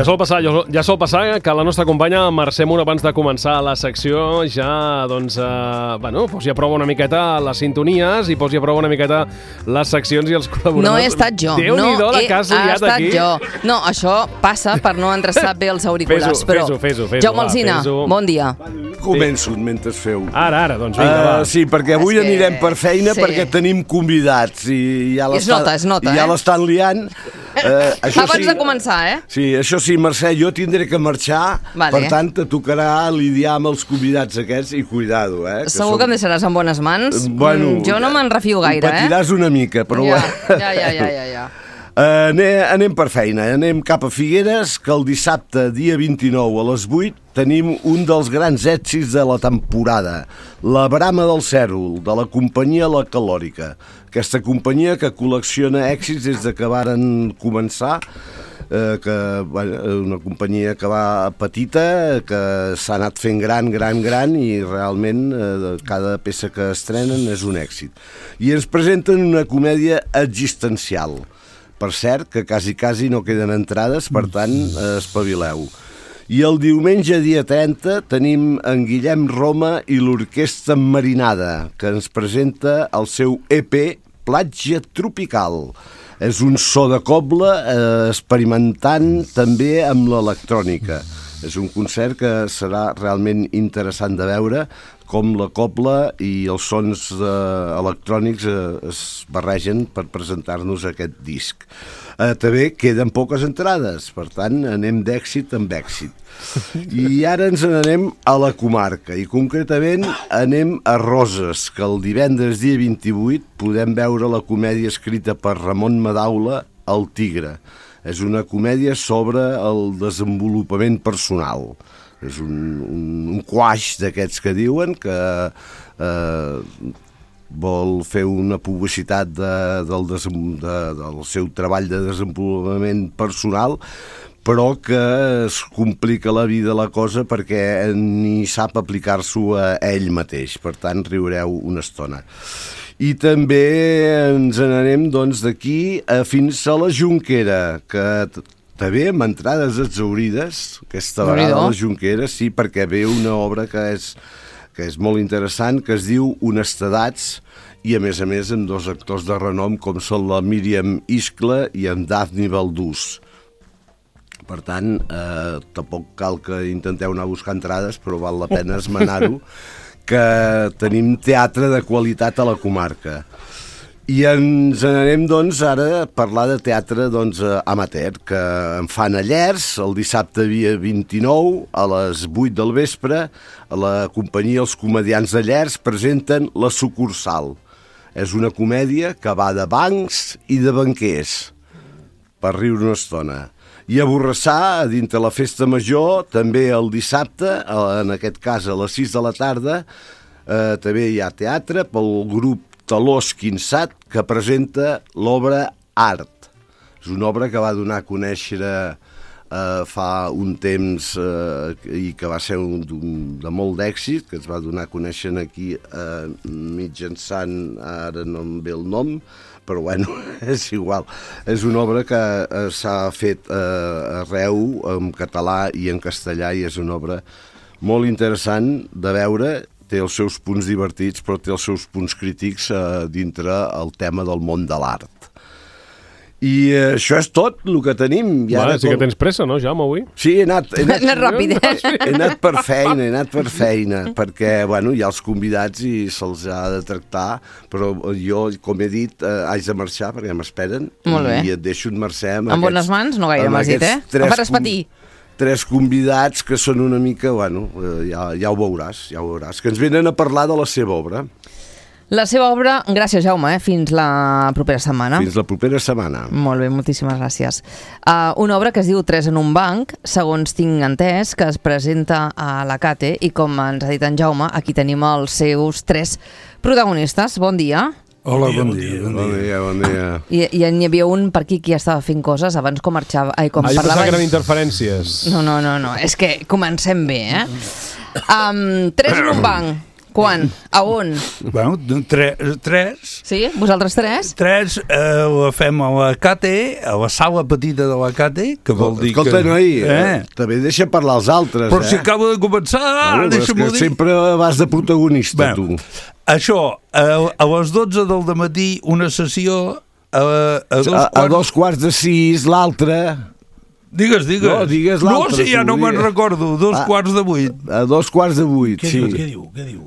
Ja sol passar que la nostra companya Mercè Mur, abans de començar la secció, ja posi a prova una miqueta les sintonies i posi a prova una miqueta les seccions i els col·laboradors. No he estat jo. Déu-n'hi-do la que has liat aquí. No, això passa per no endreçar bé els auriculars. Fes-ho. Jaume Alsina, bon dia. Començo mentre feu. Ara, doncs vinga, va. Sí, perquè avui anirem per feina perquè tenim convidats i ja l'estan liant. Abans de començar, Sí, això sí, Mercè, jo tindré que marxar, per tant, te tocarà lidiar amb els convidats aquests i cuidado, Segur que em deixaràs en bones mans? Bueno, jo no me'n refio gaire, patiràs una mica, però... Ja. Anem per feina, anem cap a Figueres, que el dissabte, dia 29 a les 8, tenim un dels grans èxits de la temporada, La Brama del Cèrvol, de la companyia La Calòrica. Aquesta companyia que col·lecciona èxits des de que varen començar, una companyia que va petita, que s'ha anat fent gran i realment cada peça que estrenen és un èxit. I ens presenten una comèdia existencial. Per cert, que quasi no queden entrades, per tant, espavileu. I el diumenge, dia 30, tenim en Guillem Roma i l'Orquestra Marinada, que ens presenta el seu EP Platja Tropical. És un so de cobla experimentant també amb l'electrònica. És un concert que serà realment interessant de veure com la cobla i els sons electrònics es barregen per presentar-nos aquest disc. També queden poques entrades, per tant, anem d'èxit amb èxit. I ara ens n'anem a la comarca, i concretament anem a Roses, que el divendres dia 28 podem veure la comèdia escrita per Ramon Madaula, El Tigre. És una comèdia sobre el desenvolupament personal. És un quaix d'aquests que diuen que vol fer una publicitat del seu treball de desenvolupament personal, però que es complica la vida la cosa perquè ni sap aplicar-s'ho a ell mateix. Per tant, riureu una estona. I també ens n'anem d'aquí fins a la Jonquera, que també amb entrades exhaurides, aquesta vegada a la Jonquera, sí, perquè ve una obra que és molt interessant, que es diu Honestedats, i a més amb dos actors de renom com són la Míriam Iscle i en Dafni Baldús. Per tant, tampoc cal que intenteu anar a buscar entrades, però val la pena esmenar-ho, que tenim teatre de qualitat a la comarca. I ens n'anem, ara a parlar de teatre amateur, que en fan a Llers, el dissabte dia 29, a les 8 del vespre, a la companyia Els Comediants de Llers presenten La Sucursal. És una comèdia que va de bancs i de banquers, per riure una estona. I a Borrassà, dintre la festa major, també el dissabte, en aquest cas a les 6 de la tarda, també hi ha teatre pel grup Talós Quinçat, que presenta l'obra Art. És una obra que va donar a conèixer fa un temps i que va ser de molt d'èxit, que es va donar a conèixer aquí mitjançant, ara no em ve el nom, però bueno, és igual. És una obra que s'ha fet arreu, en català i en castellà, i és una obra molt interessant de veure. Té els seus punts divertits, però té els seus punts crítics dintre el tema del món de l'art. I això és tot el que tenim. Sí que tens pressa, no, Jaume, avui? Sí, he anat ràpid, He anat per feina, perquè, hi ha els convidats i se'ls ha de tractar, però jo, com he dit, haig de marxar perquè m'esperen. Molt bé. I et deixo en Mercè amb bones mans, no gaire m'has dit, em faràs patir. 3 convidats que són una mica, ja ho veuràs, que ens venen a parlar de la seva obra. La seva obra, gràcies Jaume, fins la propera setmana. Fins la propera setmana. Molt bé, moltíssimes gràcies. Una obra que es diu 3 en un banc, segons tinc entès, que es presenta a la Cate, i com ens ha dit en Jaume, aquí tenim els seus 3 protagonistes. Bon dia. Hola, bon dia. Bon dia. I n'hi havia un per aquí que ja estava fent coses abans com marxava... Jo pensava que eren interferències. No, és que comencem bé, 3 en un banc. Quan? A on? Bueno, tres. Sí? Vosaltres tres? Tres la fem a la Cate, a la sala petita de la Cate, que vol dir Escolta, que... noi, també deixa parlar els altres, Però si acaba de començar, deixa'm-ho dir. Sempre vas de protagonista, tu. Això, a les 12 del dematí, una sessió, a 2:45, l'altra... Digues. No, digues l'altre. No, si ja no me'n recordo, 7:15. A 7:15, Què sí. diu? Què diu?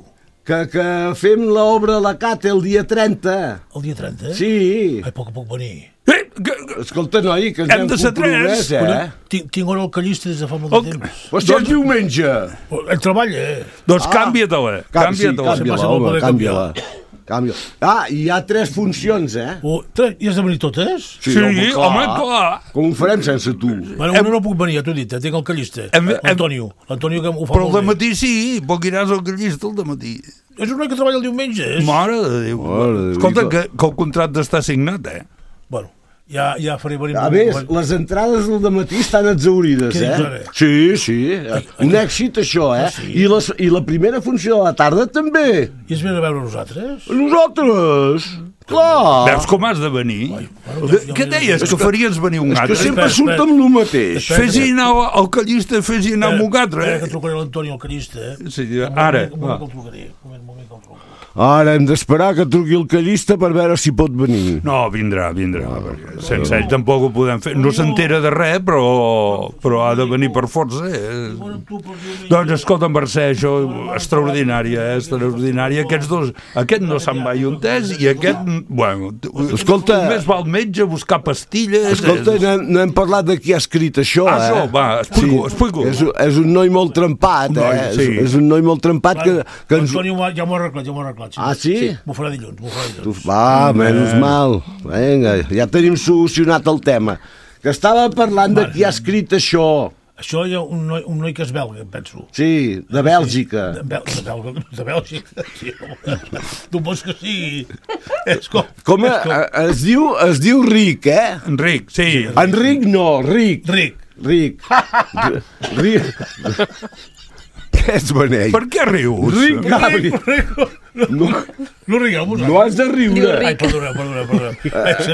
Que fem l'obra a la Cate el dia 30. El dia 30? Sí. Ai, puc venir. Escolta, noi, que ens Hem hem de ser compromès, Tinc hora al callista des de fa molt de temps. Però si és diumenge. Ell treballa, Doncs canvia-te-la. Canvia-la. I hi ha 3 funcions, I has de venir totes? Sí, home, clar. Com ho farem sense tu? Bueno, una no puc venir, ja t'ho he dit, tinc el callista. L'Antonio. L'Antonio que ho fa Però al molt bé. dematí sí, perquè iràs al callista al dematí. És un noi que treballa el diumenge. Mare de Déu. Escolta, que el contracte està signat, Bueno, ja faré venir... A més, les entrades del matí estan exaurides, Què dius ara? Sí. Un èxit, això, sí? I la primera funció de la tarda també. I es ve a veure nosaltres? Nosaltres! Clar! Veus com has de venir? Què deies? Que faries venir un Que altre? sempre surt amb el mateix. Fes-hi anar al callista, fes-hi anar amb un altre. Que trucaré l'Antonio, el callista. Sí, ara. Un moment que el trucaré. Un moment que el truco. Ara hem d'esperar que truqui el callista per veure si pot venir. No, vindrà. Perquè sense ell tampoc ho podem fer. No s'entera de res, però ha de venir per força. Doncs escolta, Mercè, això extraordinària, extraordinària. Aquests dos, aquest no se'n va entès i aquest, bueno, Escolta, només va al metge a buscar pastilles. Escolta, no hem parlat de qui ha escrit això, Això, va, explico. És un noi molt trempat, Sí. És un noi molt trempat que ens... L'Antonio ja m'ho ha arreglat. Ah, sí? M'ho farà dilluns. Va, menys mal. Vinga, ja tenim solucionat el tema. Que estava parlant de qui ha escrit això. Això hi ha un noi que és belga, em penso. Sí, de Bèlgica. De Bèlgica, sí. Tu vols que sigui... Com es diu Ric, Enric, sí. Enric no, Ric. Ric. Què ets beneit? Per què rius? Ric Gabriel. No rigueu vosaltres. No has de riure. Ai, perdona.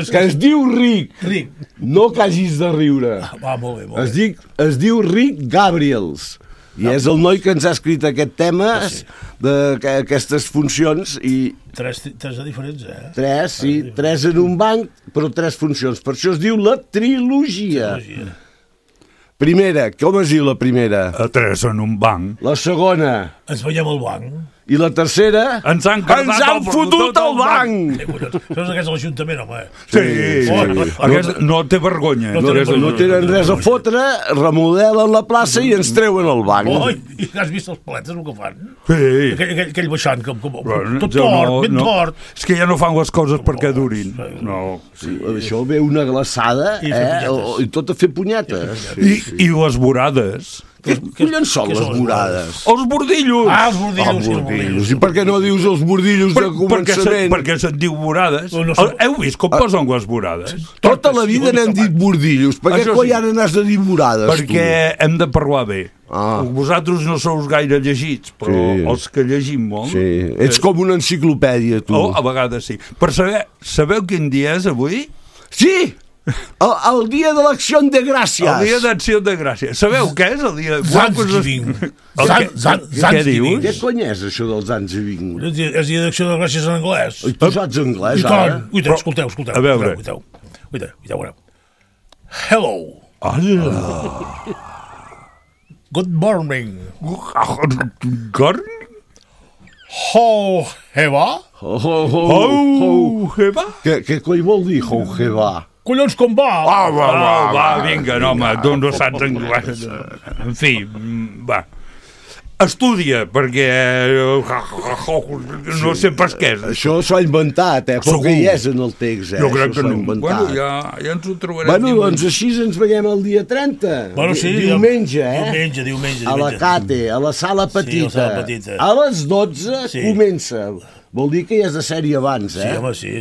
Que es diu Ric. Ric. No que hagis de riure. Va, molt bé. Es diu Ric Gabriels. I és el noi que ens ha escrit aquest tema d'aquestes funcions i... Tres de diferents, 3 en un banc, però 3 funcions. Per això es diu la trilogia. Primera, com es diu la primera? 3 en un banc. La segona. Ens veiem al banc. I la tercera... Ens han fotut al banc! Això és aquest de l'Ajuntament, home. Sí. Aquest no té vergonya. No tenen res a fotre, remodelen la plaça i ens treuen el banc. I has vist els paletes, el que fan? Sí. Aquell baixant, tot tort, ben tort. És que ja no fan les coses perquè durin. No. Això ve una glaçada i tot a fer punyetes. I les vorades. Què collons són les vorades? Els bordillos! Els bordillos. I per què no dius els bordillos de començament? Perquè se'n diu vorades. Heu vist com posen les vorades? Tota la vida n'hem dit bordillos. Per què coi ara n'has de dir vorades, tu? Perquè hem de parlar bé. Vosaltres no sou gaire llegits, però els que llegim molt... Sí, ets com una enciclopèdia, tu. A vegades sí. Per sabeu quin dia és avui? Sí! El dia de l'acció de gràcies. El dia d'acció de gràcies. Sabeu què és el dia... Zanzgiving. Què dius? Què cony és això del Zanzgiving? És dia d'acció de gràcies en anglès. I tu saps anglès, ara? Escolteu. A veure. Escolteu. Hello. Good morning. Gorn? Ho-heva? Ho-heva? Què coi vol dir ho-heva? Collons, com va? Va, vinga, no, home, tu no saps anglès. En fi, va. Estudia, perquè no sé pas què és. Això s'ho ha inventat, però que hi és en el text, Jo crec que no. Bueno, ja ens ho trobarem. Bueno, doncs així ens veiem el dia 30. Bueno, sí. Diumenge, Diumenge. A la Cate, a la sala petita. Sí, a la sala petita. A les 12 comença Vol dir que ja és de sèrie abans, Sí, home, sí.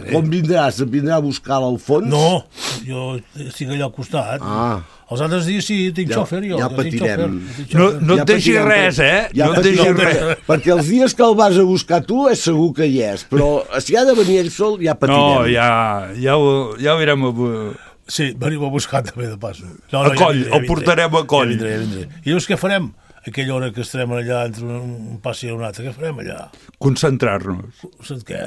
Com vindràs? Et vindrà a buscar a l'Alfons? No, jo estic allà al costat. Els altres dies sí, tinc xòfer, jo. Ja patirem. No et deixi res, no et deixi res. Perquè els dies que el vas a buscar tu és segur que hi és, però si ha de venir ell sol ja patirem. No, ja ho veurem. Sí, venim a buscar també de pas. A Coll, el portarem a Coll. Ja vindré. I llavors què farem? Aquella hora que estarem allà entre un pas i un altre, què farem allà? Concentrar-nos. Què?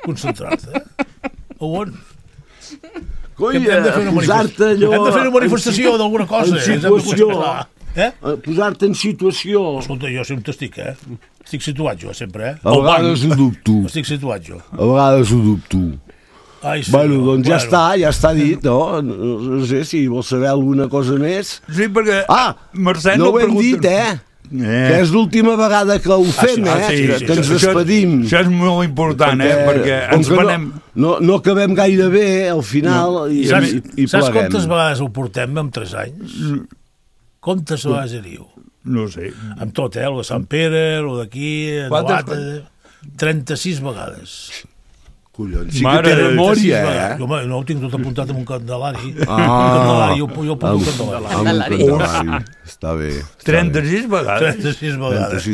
Concentrar-te? On? Coi, Hem de fer una manifestació d'alguna cosa. En situació. Posar-te en situació. Escolta, jo sempre estic, Estic situat jo, sempre, A vegades ho dubto. Estic situat jo. A vegades ho dubto. Ai, sí, bueno, doncs ja està dit, no? No sé si vols saber alguna cosa més. Sí, perquè Mercè no ho hem dit, que és l'última vegada que ho fem, que ens despedim. Això és molt important, perquè ens venem... No acabem gaire bé, al final, i pleguem. Saps quantes vegades ho portem en 3 anys? Quantes vegades diu? No sé. Amb tot, el de Sant Pere, el d'aquí... 36 vegades. Collons, sí que té memòria, Home, no ho tinc tot apuntat en un candelari. Un candelari, jo porto un candelari. Un candelari, està bé. 36 vegades? 36 vegades.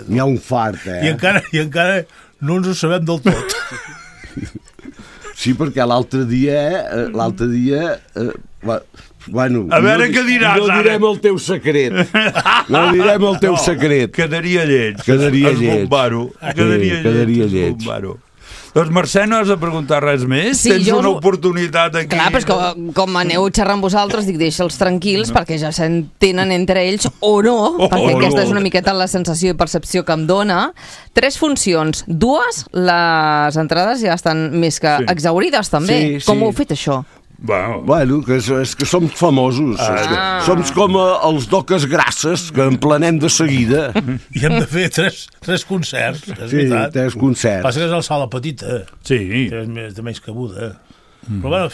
N'hi ha un fart, I encara no ens ho sabem del tot. Sí, perquè l'altre dia... Bueno, a veure què diràs, no direm el teu secret. No direm el teu secret. Quedaria lleig. Quedaria lleig. Quedaria lleig. Doncs Mercè, no has de preguntar res més? Sí, tens una oportunitat aquí. Clar, però és que com aneu xerrant vosaltres, dic, deixa'ls tranquils, perquè ja s'entenen entre ells o no, perquè aquesta és una miqueta la sensació i percepció que em dona. 3 funcions, 2, les entrades ja estan més que exhaurides, també. Com ho heu fet, això? Bueno, que és que som famosos. Som com els d'Oques Grasses, que en planem de seguida. I hem de fer 3 concerts, és veritat. 3 concerts. Passa que és a la sala petita. Sí. És de menys cabuda. Però bueno,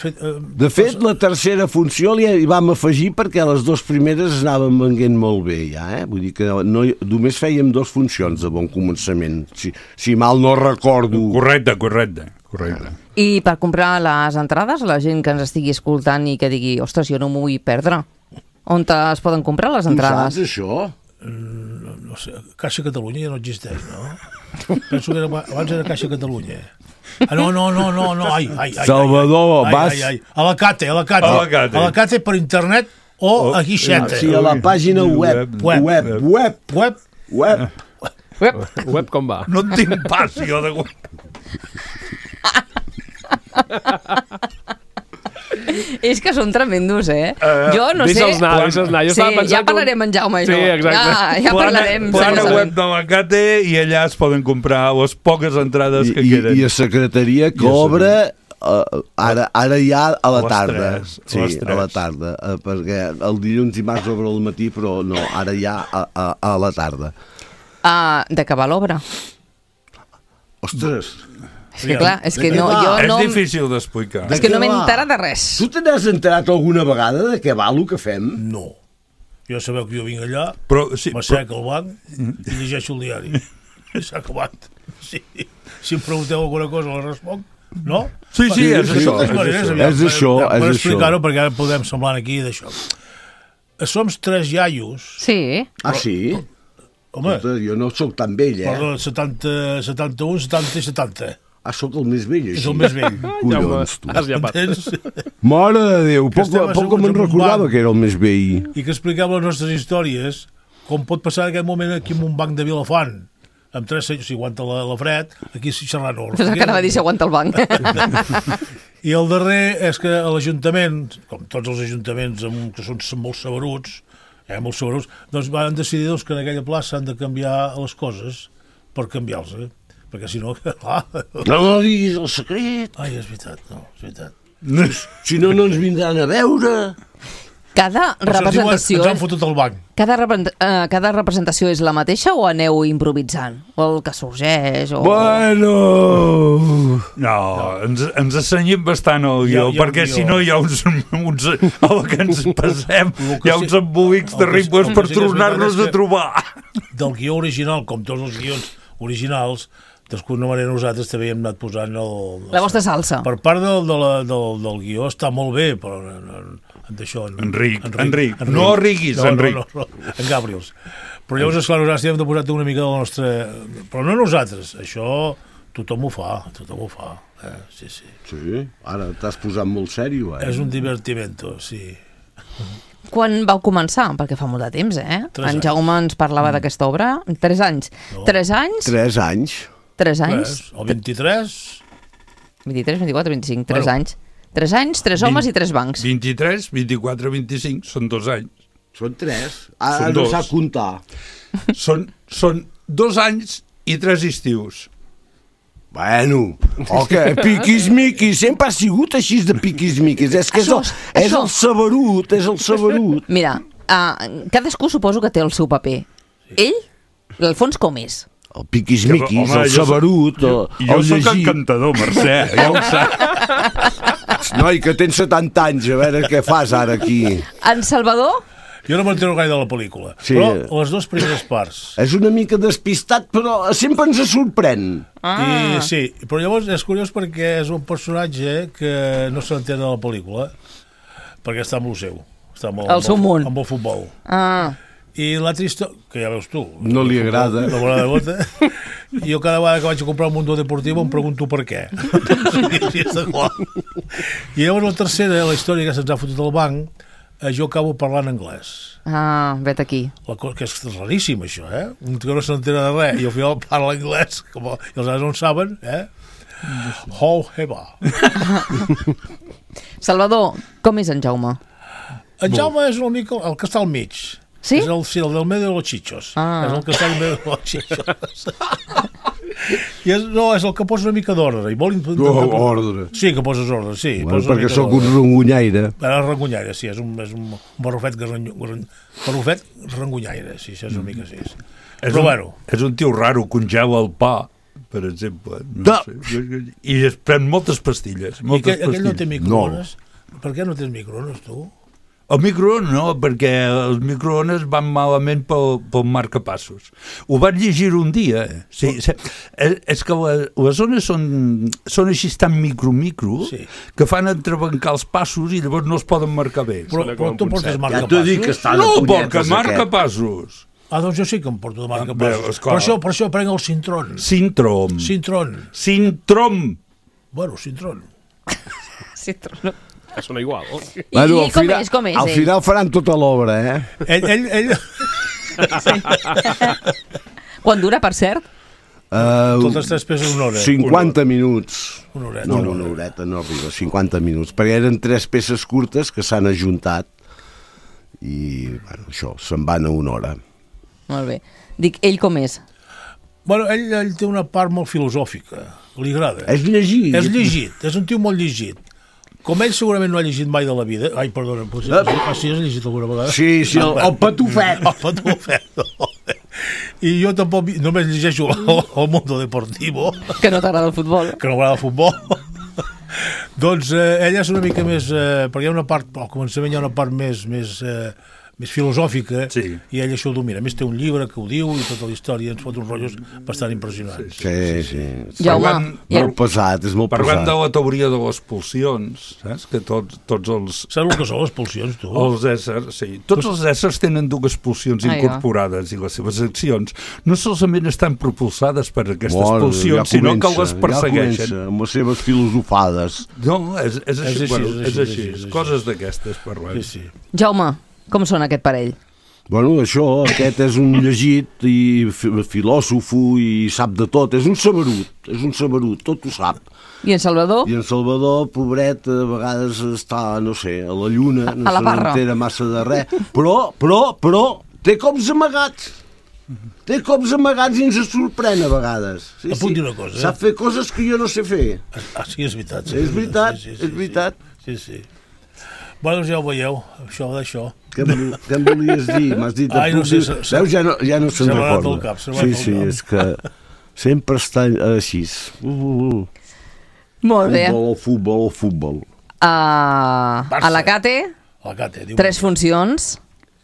de fet, la tercera funció hi vam afegir perquè les 2 primeres anaven venguent molt bé, ja, Vull dir que només fèiem 2 funcions de bon començament, si mal no recordo. Correcte. I per comprar les entrades, la gent que ens estigui escoltant i que digui, ostres, jo no m'ho vull perdre, on es poden comprar les entrades? Tu saps això? No sé, Caixa Catalunya ja no existeix, no? Penso que abans era Caixa Catalunya. No, ai. Salvador, vas... A la Cate per internet o a Guixeta. Sí, a la pàgina web. Web com va? No en tinc pas, jo, de web. És que són tremendos, jo no sé... Deixa'ls anar. Sí, ja parlarem en Jaume, sí, exacte. Ja parlarem. Plana web de la Cate i allà es poden comprar les poques entrades que queden. I a secretaria que obre ara ja a la tarda. Sí, a la tarda. Perquè el dilluns i dimarts obre al matí, però no, ara ja a la tarda. D'acabar l'obra. Ostres... És que clar, és que jo no... És difícil d'explicar. És que no m'he enterat de res. Tu te n'has enterat alguna vegada de què va el que fem? No. Jo sabeu que jo vinc allà, m'assec al banc i llegeixo el diari. I s'ha acabat. Si em pregunteu alguna cosa la responc, no? Sí, és això. És això. Per explicar-ho, perquè ara podem semblar aquí d'això. Som 3 iaios. Sí. Sí? Home, jo no sóc tan vell, Perdó, 71, 70 i 70. Sóc el més vell, així. És el més vell. Collons, tu. Has llepat. Mare de Déu, poc me'n recordava que era el més vell. I que expliquem les nostres històries, com pot passar en aquest moment aquí en un banc de Vilafant, amb 3 senyors, si aguanta la fred, aquí xerrant no. És el que anava a dir si aguanta el banc. I el darrer és que a l'Ajuntament, com tots els ajuntaments que són molt saberuts, doncs van decidir que en aquella plaça han de canviar les coses per canviar-los, perquè si no... No diguis el secret. Ai, és veritat, no, és veritat. Si no, no ens vindran a veure. Cada representació... Ens han fotut el banc. Cada representació és la mateixa o aneu improvisant? O el que sorgeix? O... Bueno... No, ens assenyem bastant al guió, perquè si no hi ha uns a la que ens passem, hi ha uns embolics terribles per tornar-nos a trobar. Del guió original, com tots els guions originals, d'alguna manera nosaltres també hem anat posant la vostra salsa. Per part del guió està molt bé, però d'això... Enric. No riguis, Enric. No, en Gabriels. Però llavors, esclar, nosaltres hem de posar una mica de la nostra... Però no nosaltres, això tothom ho fa. Sí. Sí, ara t'has posat molt sèrio, És un divertimento, sí. Quan vau començar? Perquè fa molt de temps, eh? 3 anys. En Jaume ens parlava d'aquesta obra. 3 anys. No. 3 anys? 3 anys. 3 anys? El 23... 23, 24, 25, 3 Bueno. anys. 3 anys, 3 homes i 3 bancs. 23, 24, 25, són 2 anys. Són 3. Són Ara no 2. sap comptar. Són 2 anys i 3 estius. Bueno, que piquis-miquis, sempre ha sigut així de piquis-miquis. És que és el saberut, és el saberut. Mira, cadascú suposo que té el seu paper. Ell, l'Alfons, com és? El piquis-miquis, Home, el saberut, Jo el sóc llegit. encantador, Mercè, ja ho saps. Noi, que tens 70 anys, a veure què fas ara aquí. En Salvador? Jo no m'entero gaire de la pel·lícula, Sí. però les 2 primeres parts. És una mica despistat, però sempre ens sorprèn. I, sí, però llavors és curiós perquè és un personatge que no s'entén de la pel·lícula, perquè està amb el seu. Està amb El seu món. Amb el futbol. I l'altra història, que ja veus tu, No li agrada. la bola de bota, jo cada vegada que vaig a comprar un mundo deportiu em pregunto per què. Sí, està clar. I llavors la tercera, la història que se'ns ha fotut al banc, jo acabo parlant anglès. Vet aquí. La cosa que és raríssim, això, un que no s'entera de res i al final parla anglès, i els altres no en saben, How heba. Salvador, com és en Jaume? En Jaume és una mica el que està al mig. Sí? És el del medio de los chichos. És el que està al medio de los chichos. I és el que posa una mica d'ordre. Ordre. Sí, que poses ordre, sí. Bueno, perquè sóc un rongonyaire. Ara rengonyaire, sí, és un barrufet rengonyaire, sí, és una mica així. Però bueno. És un tio raro, congela el pa, per exemple. No sé. I es pren moltes pastilles. I aquell no té microones? Per què no tens microones, tu? El microones no, perquè els microones van malament pel marcapassos. Ho vaig llegir un dia. Sí, és que les zones són així tan micro, sí, que fan entrebancar els passos i llavors no es poden marcar bé. Però tu portes Ja marcapassos? t'ho dic que està de No, punyetes perquè marcapassos. Doncs jo sí que em porto de marcapassos. Per això prenc el Sintron. Sintrom. Bueno, Sintron. Citron. Que sona igual. Bueno, Com és al ell? final faran tota l'obra, Ell Quan dura, per cert? totes 3 peces una hora. 50 minuts. Una horeta. No, una horeta no arriba, 50 minuts, perquè eren 3 peces curtes que s'han ajuntat i, bueno, això, se'n van a una hora. Molt bé. Dic, ell com és? Bueno, ell té una part molt filosòfica. Li agrada. És llegit. És llegit, és un tio molt llegit. Com ell segurament no ha llegit mai de la vida... Ai, perdona, sí, has llegit alguna vegada? Sí, el patufet. El patufet. I jo tampoc només llegeixo el Mundo Deportivo, Que no t'agrada el futbol? que no m'agrada el futbol. Doncs ella és una mica més... perquè hi ha una part, al començament hi ha una part més filosòfica, Sí. i ell això ho domina. A més té un llibre que ho diu i tota la història, ens fot uns rotllos bastant impressionants. Sí. Jaume, Molt pesat, és molt Parlant de pesat. la teoria de les pulsions, saps? Que tots els... Saps el que són les pulsions, tu? Els éssers, sí. Tots els éssers tenen 2 pulsions incorporades i les seves accions no solament estan propulsades per aquestes pulsions, sinó que les persegueixen. Ja comença, amb les seves filosofades. No, és així, és així. coses d'aquestes parlant. Sí. Jaume, com són aquest parell? Bueno, això, aquest és un llegit i filòsofo i sap de tot. És un saberut, tot ho sap. I en Salvador? I en Salvador, pobret, a vegades està, no sé, a la lluna, no A la se parra. n'entera massa de res, però té cops amagats. Té cops amagats i ens sorprèn a vegades. Et puc dir una cosa, Sap fer coses que jo no sé fer. Sí, és veritat. És veritat. Sí. Bueno, ja ho veieu, això d'això. Què em volies dir? M'has dit... Ai, no sé, Veus, ja no se'n se m'ha anat recorda. el cap, se m'ha anat el Sí, cap. és que sempre està així. Molt bé. Futbol. A la Cate, La Cate, diu. 3 funcions.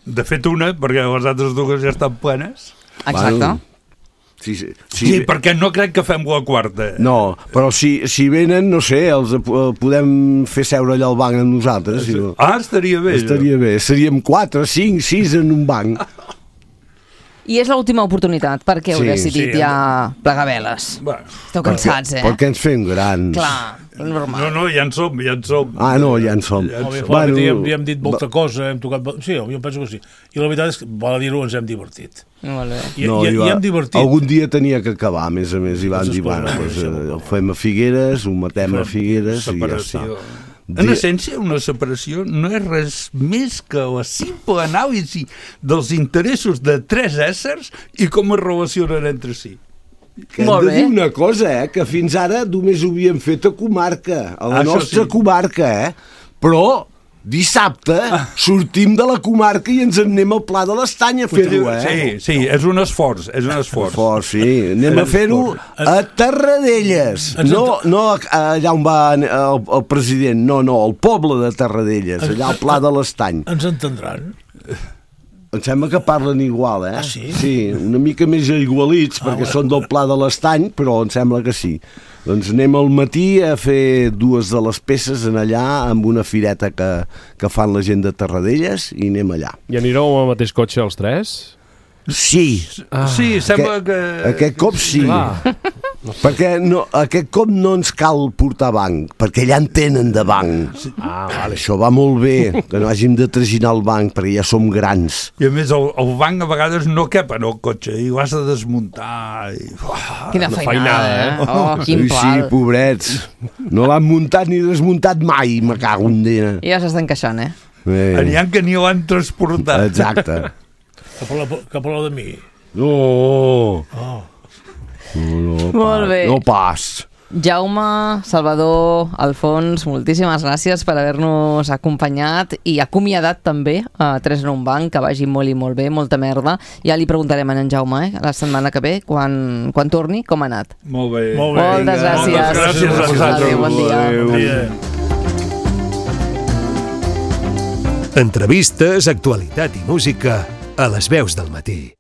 De fet, una, perquè les altres dues ja estan plenes. Exacte. Bueno, sí. Sí, perquè no crec que fem la quarta. No, però si venen, no sé, els podem fer seure allà al banc amb nosaltres. Si no. Estaria bé. Estaria bé. Seríem 4, 5, 6 en un banc. I és l'última oportunitat, perquè heu Sí, decidit sí, ja plegar veles. Bueno, Esteu cansats, Perquè ens fem grans. Clar, normal. no, ja en som. Ah, no, ja en som. Ja hem dit molta cosa, hem tocat... Sí, jo penso que sí. I la veritat és que, val a dir-ho, ens hem divertit. Molt bé. I hem divertit. Algun dia tenia que acabar, a més, i van dir, escolta, bueno, ho fem a Figueres, ho matem a Figueres i ja està. Separació. En essència, una separació no és res més que la simple anàlisi dels interessos de 3 éssers i com es relacionen entre si. Que hem Molt de bé. dir una cosa, que fins ara només ho havíem fet a comarca, a la Això nostra sí. comarca, però dissabte sortim de la comarca i ens en anem al Pla de l'Estany a fer-ho, Sí, és un esforç, Fort, sí. Anem a fer-ho a Tarradellas. No allà on va el president, no, al poble de Tarradellas, allà al Pla de l'Estany. Ens entendran. Em sembla que parlen igual, Ah, sí? Sí, una mica més igualits, perquè són del Pla de l'Estany, però em sembla que sí. Doncs anem al matí a fer 2 de les peces en allà, amb una fireta que fan la gent de Tarradellas, i anem allà. I anireu amb el mateix cotxe els 3? Sí, Sí, sembla que... aquest cop sí. Clar. Perquè aquest cop no ens cal portar banc, perquè ja en tenen de banc. Vale. Això va molt bé, que no hàgim de traginar el banc, perquè ja som grans. I a més, el banc a vegades no cap en el cotxe i ho has de desmuntar. I... Quina feinada, Oh, quin Sí, pal. pobrets. No l'han muntat ni desmuntat mai, me cago en dia. Ja s'estan queixant, N'hi ha que ni l'han transportat. Exacte. Que parleu de mi. No. Molt bé. No pas. Jaume, Salvador, Alfons, moltíssimes gràcies per haver-nos acompanyat i acomiadat també a 3 en un banc, que vagi molt i molt bé, molta merda. Ja li preguntarem a en Jaume, la setmana que ve, quan torni, com ha anat. Molt bé. Molt bé. Moltes gràcies. Moltes gràcies a vosaltres. Adéu, bon dia. Bon dia. Entrevistes, actualitat i música a les veus del matí.